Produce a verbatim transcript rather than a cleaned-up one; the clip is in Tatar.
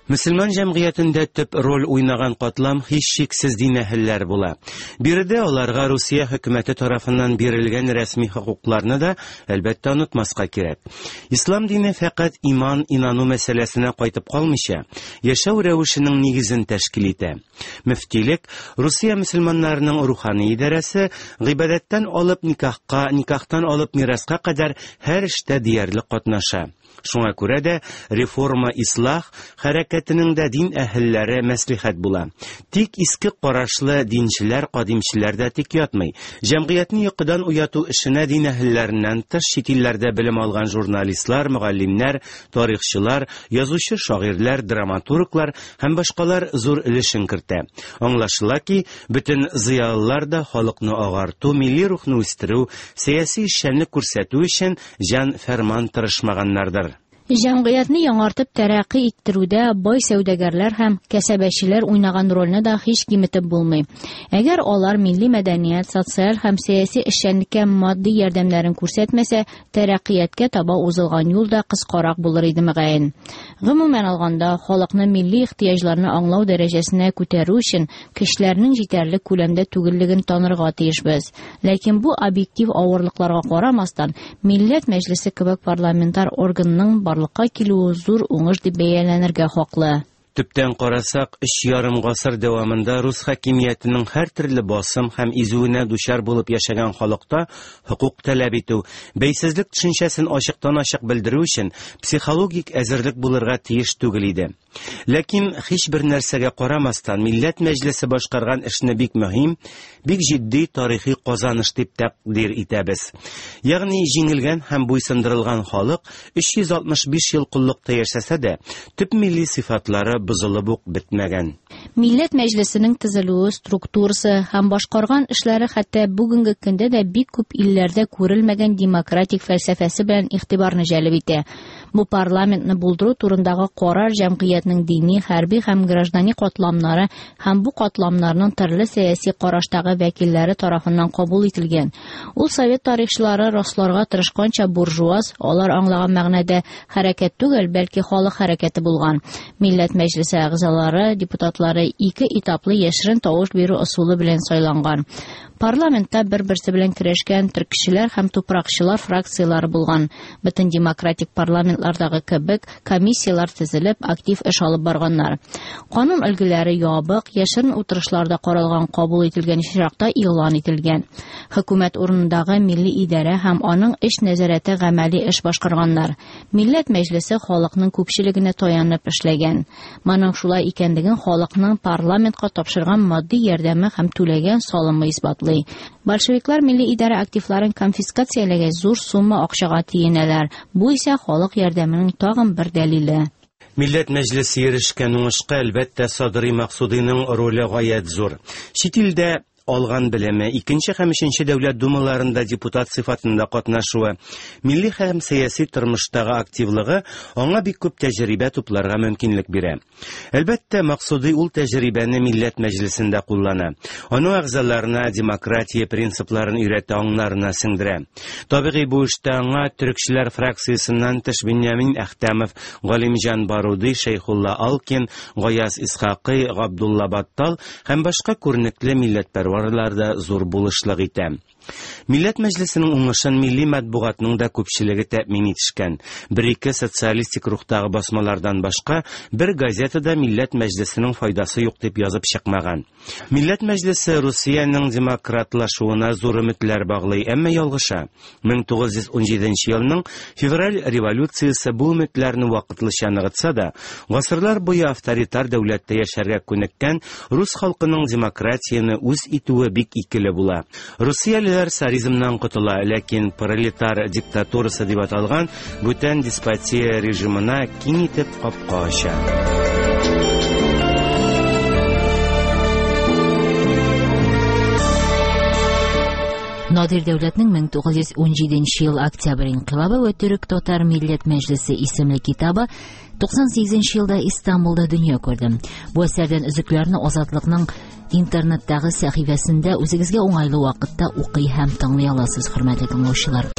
Мөселман җәмгыятендә төп роль уйнаган катлам һичшиксез дин әһелләре була. Биредә аларга Русия хөкүмәте тарафыннан бирелгән рәсми хокукларны да, әлбәттә, онытмаска кирәк. Ислам дине фәкать иман, инану мәсьәләсенә кайтып калмыйча, яшәү рәвешенең нигезен тәшкил итә. Мөфтилек, Русия мөселманнарының рухани идарәсе, гыйбадәттән алып никахка, никахтан алып мираска кадәр һәр эштә диярлек катнаша. Шуңа күрә дә реформа ислах хәрәкәтенең дә дин әһелләре мәслихәт була. Тик иске карашлы динчеләр, кадимчеләр дә тик ятмый. Җәмгыятьне йокыдан уяту эшенә дин әһелләреннән тыш чит илләрдә белем алган журналистлар, мөгаллимнәр, тарихчылар, язучы шагыйрьләр, драматурглар һәм башкалар зур өлешен кертә. Аңлашыла ки, бөтен зыялылар да халыкны агарту, милли рухны үстерү, сәяси эшчәнлек күрсәтү өчен җан фәрман тырышмаганнардыр. Җәмгыятьне яңартып тәрәкъи иттерүдә бай сәүдәгәрләр һәм кәсәбәчеләр уйнаган рольне дә һич киметеп булмый. Әгәр алар милли мәдәният, социаль һәм сәяси эшчәнлеккә матди ярдәмнәрен күрсәтмәсә, тәрәкъияткә таба узылган юл да кыскарак булыр иде мөгаен. Гомумән алганда, халыкны милли ихтыяҗларны аңлау дәрәҗәсенә күтәрү өчен кешеләрнең җитәрлек күләмдә түгеллеген танырга тиешбез. Ләкин бу объектив авырлыкларга карамастан, Милләт Мәҗлесе кебек парламентар органның барлыкка килүе зур уңыш дип бәяләнергә хаклы. Төптән карасак, өч ярым гасыр дәвамында рус хакимиятенең һәр төрле басым һәм изүенә дучар булып яшәгән халыкта хокук таләп итү, бәйсезлек төшенчәсен ачыктан-ачык белдерү өчен психологик әзерлек булырга тиеш түгел иде. Ләкин һич бер нәрсәгә карамастан, Милләт Мәҗлесе башкарган эшне бик мөһим, бик җитди тарихи казаныш дип тәкъдир итәбез. Ягъни җиңелгән һәм буйсындырылган халык өч йөз алтмыш биш ел коллыкта яшәсә дә, төп милли сыйфатлары бозылып ук бетмәгән. Милләт Мәҗлесенең төзелүе, структурасы һәм башкарган эшләре хәтта бүгенге көндә дә бик күп илләрдә күрелмәгән демократик фәлсәфәсе белән игътибарны җәлеп итә. Бу парламентны булдыру турындагы карар җәмгыятьнең дини, хәрби һәм граждани катламнары һәм бу катламнарның төрле сәяси караштагы вәкилләре тарафыннан кабул ителгән. Ул совет тарихчылары расларга тырышканча буржуаз, алар аңлаган мәгънәдә хәрәкәт түгел, бәлки халык хәрәкәте булган. Милләт Мәҗлесе әгъзалары, депутатлары ике этаплы яшерен тавыш бирү ысулы белән сайланган. Парламентта бер-берсе белән көрәшкән төркчеләр һәм тупракчылар фракциялары булган. Бөтен демократик парламентлардагы кебек комиссияләр төзелеп, актив эш алып барганнар. Канун өлгеләре ябык, яшерен утырышларда каралган, кабул ителгән очракта игълан ителгән. Хөкүмәт урынындагы милли идарә һәм аның эш нәзарәте гамәли эш башкарганнар. Милләт Мәҗлесе халыкның күпчелегенә таянып эшләгән. Моның шулай икәнлеген халыкның парламентка тапшырган матди ярдәме һәм түләгән салымы исбатлый. Большевиклар милли идарә активларын конфискацияләгәч зур сумма акчага тиенәләр. Бу исә халык ярдәменең тагын бер дәлиле. Милләт Мәҗлесе ирешкән уңышка, әлбәттә, Садри Максудиның роле гаять зур. Чит илдә алган белеме, икенче һәм өченче дәүләт думаларында депутат сыйфатында катнашуы, милли һәм сәяси тормыштагы активлыгы аңа бик күп тәҗрибә тупларга мөмкинлек бирә. Әлбәттә, Максуди ул тәҗрибәне Милләт Мәҗлесендә куллана. Аның әгъзаларына демократия принципларын өйрәтә, аңнарына сеңдерә. Табигый бу эштә аңа төркчеләр фракциясеннән тыш Беньямин Әхтәмов, Галимҗан Баруди, Шәйхулла Алкин, Гаяз Исхакый, Габдулла Баттал һәм башка күренекле милләтпәрвәрләр да зур булышлык итә. Милләт Мәҗлесенең уңышын милли матбугатның да күпчелеге тәэмин итешкән. Бер-ике социалистик рухтагы басмалардан башка бер газетада Милләт Мәҗлесенең файдасы юк дип язып чыкмаган. Милләт Мәҗлесе Русиянең демократлашуына зур өметләр баглый, әмма ялгыша. мең тугыз йөз унҗиденче елның февраль революциясе бу өметләрне вакытлыча ныгытса да, гасырлар буе авторитар дәүләттә яшәргә күнеккән рус халкының демократияне үз итүе бик икеле була. Русиялеләр царизмнан котыла, ләкин пролетар диктатурасы дип аталган бүтән деспотия режимына киң итеп капка ача. Надир Дәүләтнең мең тугыз йөз унҗиденче ел октябрь инкыйлабы вә Төрек-татар милләт мәҗлесе исемле китабы туксан сигезенче елда Истанбулда дөнья күрде. Бу әсәрдән өзекләрне Азатлыкның интернеттагы сәхифәсендә үзегезгә уңайлы вакытта укый һәм тыңлый аласыз, хөрмәтле тыңлаучылар.